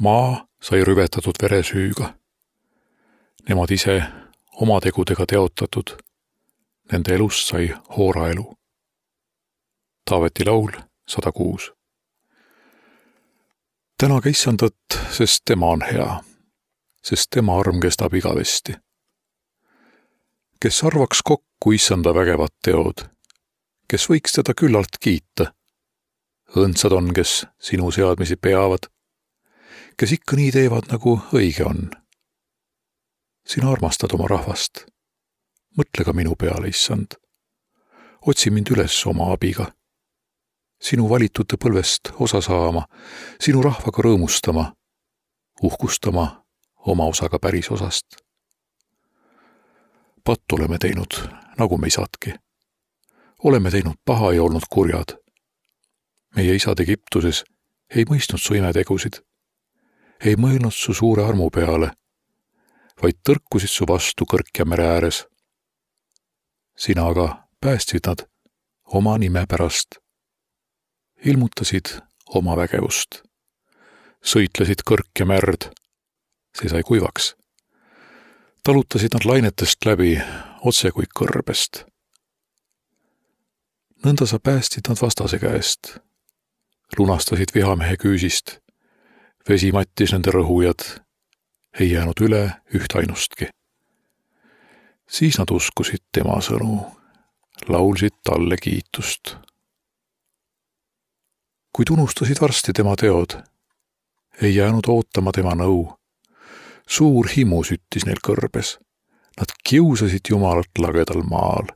Maa sai rüvetatud veresüüga. Nemad ise oma tegudega teotatud. Nende elust sai hooraelu. Taaveti laul 106. Tänage Issandat, sest tema on hea, sest tema arm kestab igavesti. Kes arvaks kokku Issanda vägevad teod, kes võiks teda küllalt kiita? Õndsad on, kes sinu seadmisi peavad, kes ikka nii teevad, nagu õige on. Sina armastad oma rahvast. Mõtle ka minu peale, Issand. Otsi mind üles oma abiga. Sinu valitute põlvest osa saama, sinu rahvaga rõõmustama, uhkustama oma osaga päris osast. Pattu oleme teinud, nagu me isadki. Oleme teinud paha ja olnud kurjad. Meie isad Egiptuses ei mõistnud su imetegusid, ei mõelnud su suure armu peale, vaid tõrkusid su vastu Kõrkja mere ääres. Sina aga päästsid nad oma nime pärast, ilmutasid oma vägevust, sõitlesid Kõrkja merd, see sai kuivaks. Talutasid nad lainetest läbi, otse kui kõrbest. Nõnda sa päästsid nad vastase käest, lunastasid vihamehe küüsist, vesi mattis nende rõhujad, ei jäänud üle üht ainustki. Siis nad uskusid tema sõnu, laulsid talle kiitust. Kuid unustasid varsti tema teod, ei jäänud ootama tema nõu. Suur himu süttis neil kõrbes, nad kiusasid Jumalat lagedal maal.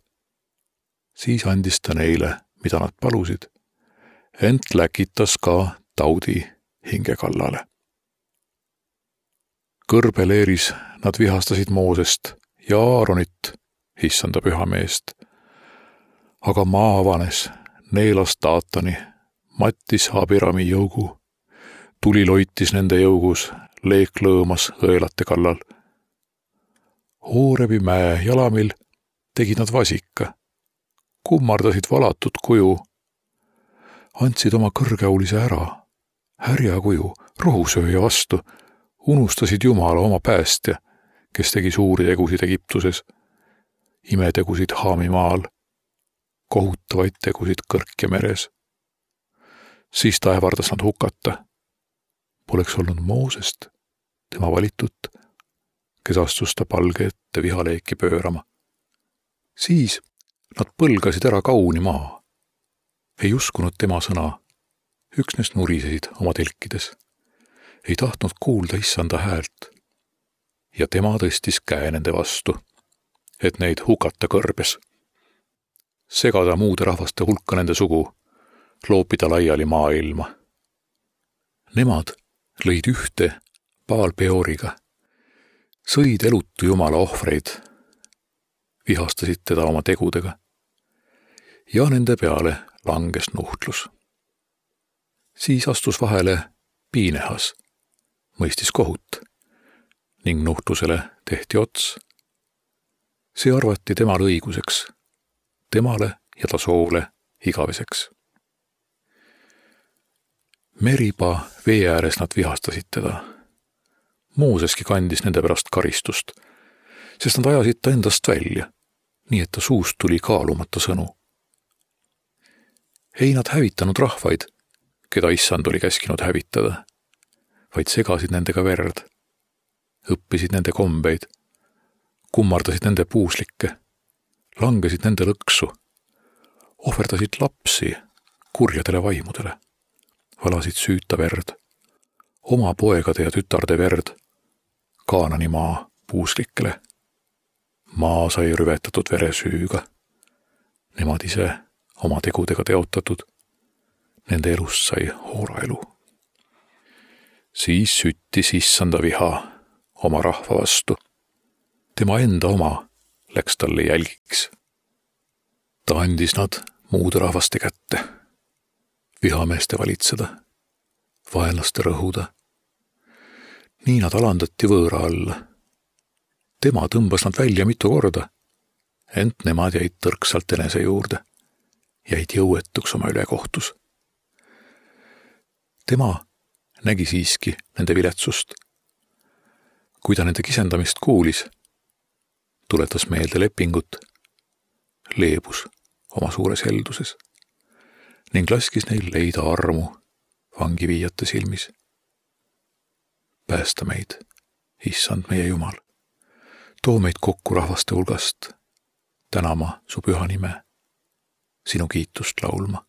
Siis andis ta neile, mida nad palusid, ent läkitas ka taudi hinge kallale. Kõrbeleeris nad vihastasid Moosest ja Aaronit, Issanda pühameest. Aga maa avanes, neelas Taatani, mattis Abirami jõugu, tuli loitis nende jõugus, leek lõõmas õelate kallal. Hoorebi mäe jalamil tegid nad vasika, kummardasid valatud kuju, andsid oma kõrgeaulise ära, härja kuju, rohusööja vastu, unustasid Jumala oma päästja, kes tegi suuri tegusid Egiptuses, imetegusid Haami maal, kohutavaid tegusid Kõrkja meres. Siis ta ähvardas nad hukata. Poleks olnud Moosest, tema valitut, kes astus ta palge ette vihaleeki pöörama. Siis nad põlgasid ära kauni maa. Ei uskunud tema sõna, üksnes nurisesid oma telkides. Ei tahtnud kuulda Issanda häält. Ja tema tõstis käe nende vastu, et neid hukata kõrbes. Segada muude rahvaste hulka nende sugu, loopida laiali maailma. Nemad lõid ühte Baal Peoriga, sõid elutu Jumala ohvreid, vihastasid teda oma tegudega ja nende peale langes nuhtlus. Siis astus vahele Piinehas, mõistis kohut ning nuhtlusele tehti ots. See arvati temale õiguseks, temale ja ta soole igaveseks. Meriba vee ääres nad vihastasid teda. Mooseski kandis nende pärast karistust, sest nad ajasid ta endast välja, nii et ta suust tuli kaalumata sõnu. Ei nad hävitanud rahvaid, keda Issand oli käskinud hävitada, vaid segasid nendega verd, õppisid nende kombeid, kummardasid nende puuslikke, langesid nende lõksu, ohverdasid lapsi kurjadele vaimudele, valasid süüta verd, oma poegade ja tütarde verd, Kaanani maa puuslikele. Maa sai rüvetatud veresüüga, nemad ise oma tegudega teotatud, nende elust sai hooraelu. Siis süttis Issanda viha oma rahva vastu, tema enda oma läks talle jälgiks. Ta andis nad muude rahvaste kätte, vihameeste valitseda, vaenlaste rõhuda. Nii nad alandati võõra alla. Tema tõmbas nad välja mitu korda, ent nemad jäid tõrksalt enese juurde, jäid jõuetuks oma ülekohtus. Tema nägi siiski nende viletsust. Kui ta nende kisendamist kuulis, tuletas meelde lepingut, leebus oma suures helduses ning laskis neil leida armu vangiviijate silmis. Päästa meid, issand meie Jumal. Too meid kokku rahvaste hulgast, tänama su püha nime, sinu kiitust laulma.